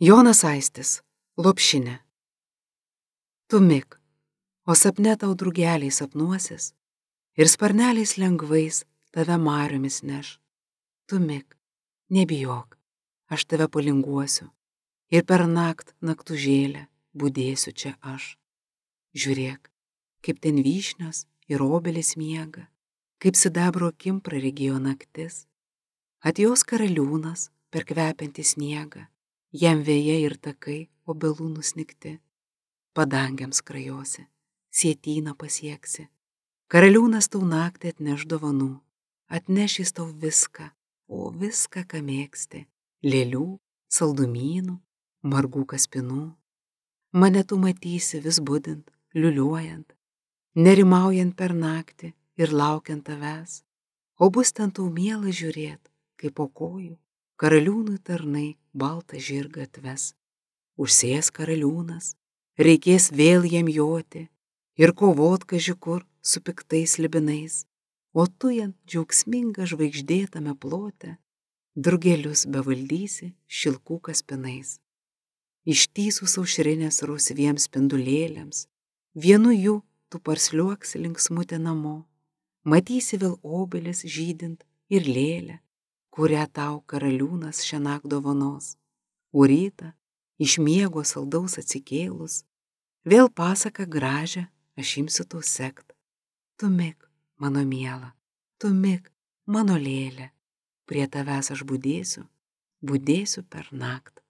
Jonas Aistis, Lopšinė. Tu mik, o sapne tau drugeliai sapnuosis ir sparneliais lengvais tave mariomis neš. Tu mik, nebijok, aš tave palinguosiu ir per naktužėlę budėsiu čia aš. Žiūrėk, kaip ten vyšnios ir obelis miega, kaip sidabro akim praregėjo naktis. Atjos karaliūnas per kvepiantį sniegą, jam vėjai ir takai obelų nusnigti. Padangiams krajosi, sietyną pasieksi. Karaliūnas tau naktį atneš dovanų, atneš jis tau viską, o viską, ką mėgsti, lėlių, saldumynų, margų kaspinų. Mane tu matysi vis budint, liuliuojant, nerimaujant per naktį ir laukiant tavęs, o bus ten tau miela žiūrėt, kaip po kojų karaliūnui tarnai baltą žirgą atves. Užsės karaliūnas, reikės vėl jam joti ir kovot kaži kur su piktais slibinais, o tu jam džiaugsminga žvaigždėtame plote drugelius bevaldysi šilkų kaspinais. Ištįsus aušrinės rausviems spindulėliams, vienu jų tu parsliuoksi linksmutė namo, matysi vėl obelis žydint ir lėlę, kurią tau karaliūnas šiąnakt dovanos. O rytą, iš miego saldaus atsikėlus, vėl pasaką gražią aš imsiu tau sekt. Tu mik, mano miela, tu mik, mano lėlė, prie tavęs aš budėsiu per naktį.